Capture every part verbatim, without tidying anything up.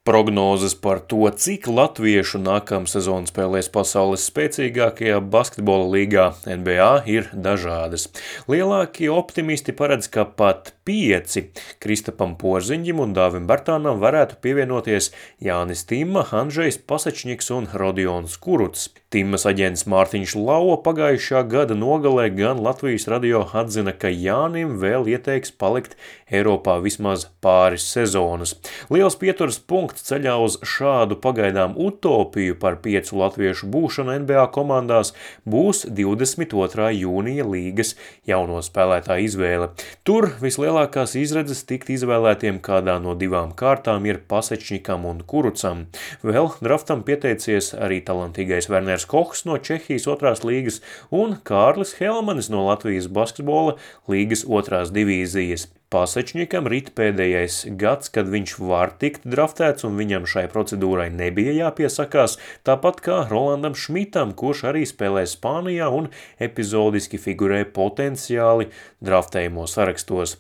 Prognozes par to, cik latviešu nākamsezon spēlēs pasaules spēcīgākajā basketbola līgā N B A ir dažādas. Lielākie optimisti paredz, ka pat pieci Kristapam Porziņģim un Dāvim Bartānam varētu pievienoties Jānis Timma, Andžejs Pasečņiks un Rodions Kurucs. Timmas aģents Mārtiņš Lauva pagājušā gada nogalē gan Latvijas radio atzina, ka Jānim vēl ieteiks palikt Eiropā vismaz pāris sezonas. Liels pieturas punkts ceļā uz šādu pagaidām utopiju par piecu latviešu būšanu N B A komandās būs divdesmit otrā jūnija līgas jauno spēlētāju izvēle. Tur vislielākās izredzes tikt izvēlētiem kādā no divām kārtām ir Pasečņikam un Kurucam. Vēl draftam pieteicies arī talantīgais Werners Kochs no Čehijas otrās līgas un Kārlis Helmanis no Latvijas basketbola līgas otrās divīzijas. Pasečņikam rit pēdējais gads, kad viņš var tikt draftēts un viņam šai procedūrai nebija jāpiesakās, tāpat kā Rolandam Šmitam, kurš arī spēlē Spānijā un epizodiski figurē potenciāli draftējumos sarakstos.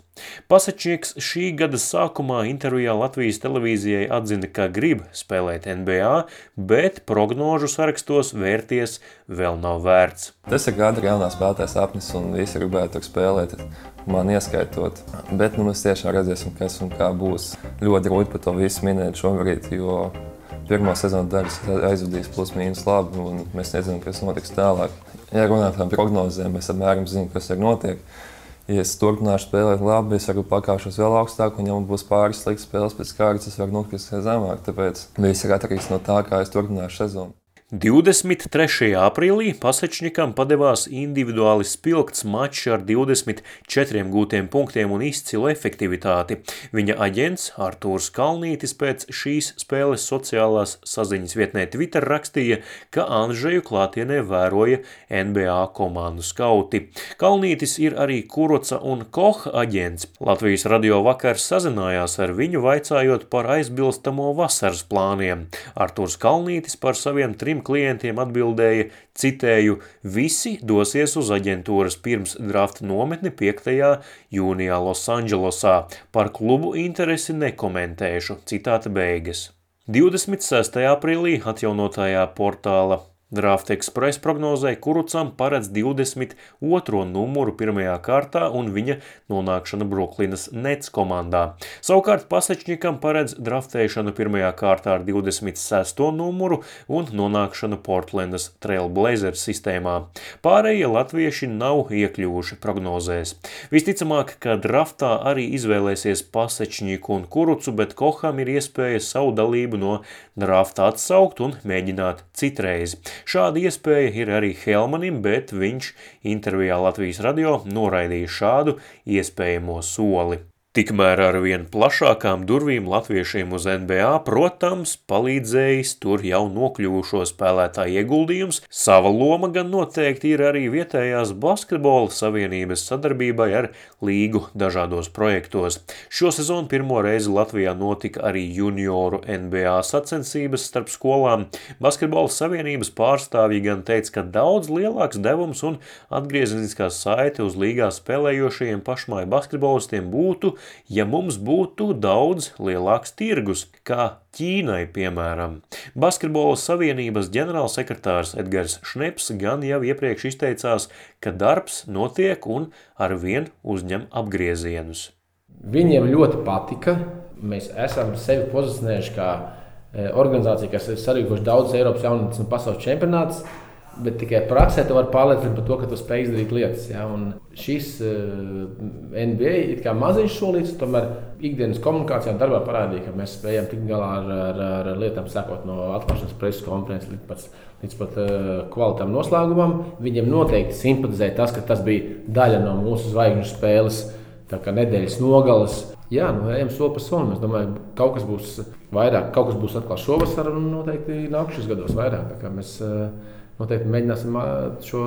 Pasečņiks šī gada sākumā intervijā Latvijas televīzijai atzina, ka grib spēlēt N B A, bet prognožu sarakstos vērties vēl nav vērts. Tas ir gada galvenā spēlētāja sapnis un visi gribētu spēlēt, man ieskaitot. Bet nu, mēs tiešām redzēsim, kas un kā būs. Ļoti grūti par to visu minēt šobrīd, jo pirmo sezonu daļas aizvadīs plus mīnus labi un mēs nezinām, kas notiks tālāk. Ja runāt par prognozēm, mēs apmēram zinām, kas ir notiek. Ja es turpināšu spēlēt labi, es varu pakāpšos vēl augstāk, un ja man būs pāris sliktas spēles pēc kārtas, es varu nokrist zemāk, tāpēc viss ir atkarīgs no tā, kā es turpināšu sezonu. divdesmit trešajā aprīlī Pasečņikam padevās individuāli spilgts mačs ar divdesmit četriem gūtiem punktiem un izcilu efektivitāti. Viņa aģents Artūrs Kalnītis pēc šīs spēles sociālās saziņas vietnē Twitter rakstīja, ka Andžeju klātienē vēroja N B A komandu skauti. Kalnītis ir arī Kuruca un Koha aģents. Latvijas radio vakar sazinājās ar viņu, vaicājot par aizbilstamo vasaras plāniem. Artūrs Kalnītis par saviem trim klientiem atbildēja, citēju, visi dosies uz aģentūras pirms drafta nometni piektajā jūnijā Losandželosā. Par klubu interesi nekomentēšu, citāta beigas. divdesmit sestajā aprīlī atjaunotajā portāla Draft Express prognozē Kurucam paredz divdesmit otro numuru pirmajā kārtā un viņa nonākšana Bruklinas Nets komandā. Savukārt Pasečņikam paredz draftēšanu pirmajā kārtā ar divdesmit sesto numuru un nonākšanu Portlandas Trail Blazers sistēmā. Pārējie latvieši nav iekļuvuši prognozēs. Visticamāk, ka draftā arī izvēlēsies Pasečņiku un Kurucu, bet Koham ir iespēja savu dalību no drafta atsaukt un mēģināt citreiz. Šāda iespēja ir arī Helmanim, bet viņš intervijā Latvijas radio noraidīja šādu iespējamo soli. Tikmēr ar vien plašākām durvīm latviešiem uz N B A, protams, palīdzējis tur jau nokļuvušo spēlētāju ieguldījums. Sava loma gan noteikti ir arī vietējās basketbola savienības sadarbībai ar līgu dažādos projektos. Šo sezonu pirmo reizi Latvijā notika arī junioru N B A sacensības starp skolām. Basketbola savienības pārstāvji gan teica, ka daudz lielāks devums un atgriezeniskā saite uz līgā spēlējošajiem pašmāju basketbolistiem būtu, ja mums būtu daudz lielāks tirgus, kā Ķīnai, piemēram. Basketbola savienības ģenerālsekretārs Edgars Šneps gan jau iepriekš izteicās, ka darbs notiek un arvien uzņem apgriezienus. Viņiem ļoti patika. Mēs esam sevi pozicionējuši kā organizācija, kas ir sarīkoši daudz Eiropas jaunatnes un pasaules čempionātus, bet tikai praksē tu vari pārliecināt par to, ka tu spēj izdarīt lietas. Ja? Un šis uh, N B A ir kā maziņš solīts, tomēr ikdienas komunikācijā un darbā parādīja, ka mēs spējam tikt galā ar, ar, ar lietām, sākot no atklāšanas preses konferences līdz pat, līdz pat uh, kvalitātam noslēgumam. Viņiem noteikti simpatizē tas, ka tas bija daļa no mūsu zvaigžņu spēles, tā kā nedēļas nogales. Jā, nu ejam soli pa solim. Es domāju, kaut kas būs vairāk, kaut kas būs atkal šovasar un noteikti nākušas gados vairāk. Tā kā mēs uh, noteikti mēģināsim šo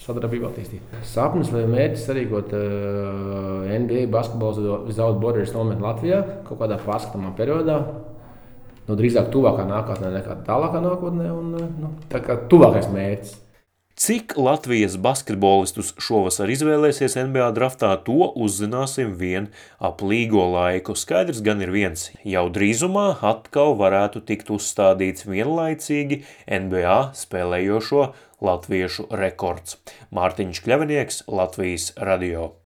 sadarbību attīstīt. Sapnis vai mērķis sarīkot uh, N B A basketbola without borders nometni Latvijā kaut kādā pārskatāmā periodā. Nu, drīzāk tuvākā nākotnē nekā tālākā nākotnē un nu, tā kā tuvākais mērķis. Cik Latvijas basketbolistus šovasar izvēlēsies N B A draftā, to uzzināsim vien ap līgo laiku. Skaidrs gan ir viens, jau drīzumā atkal varētu tikt uzstādīts vienlaicīgi N B A spēlējošo latviešu rekords. Mārtiņš Kļavinieks, Latvijas radio.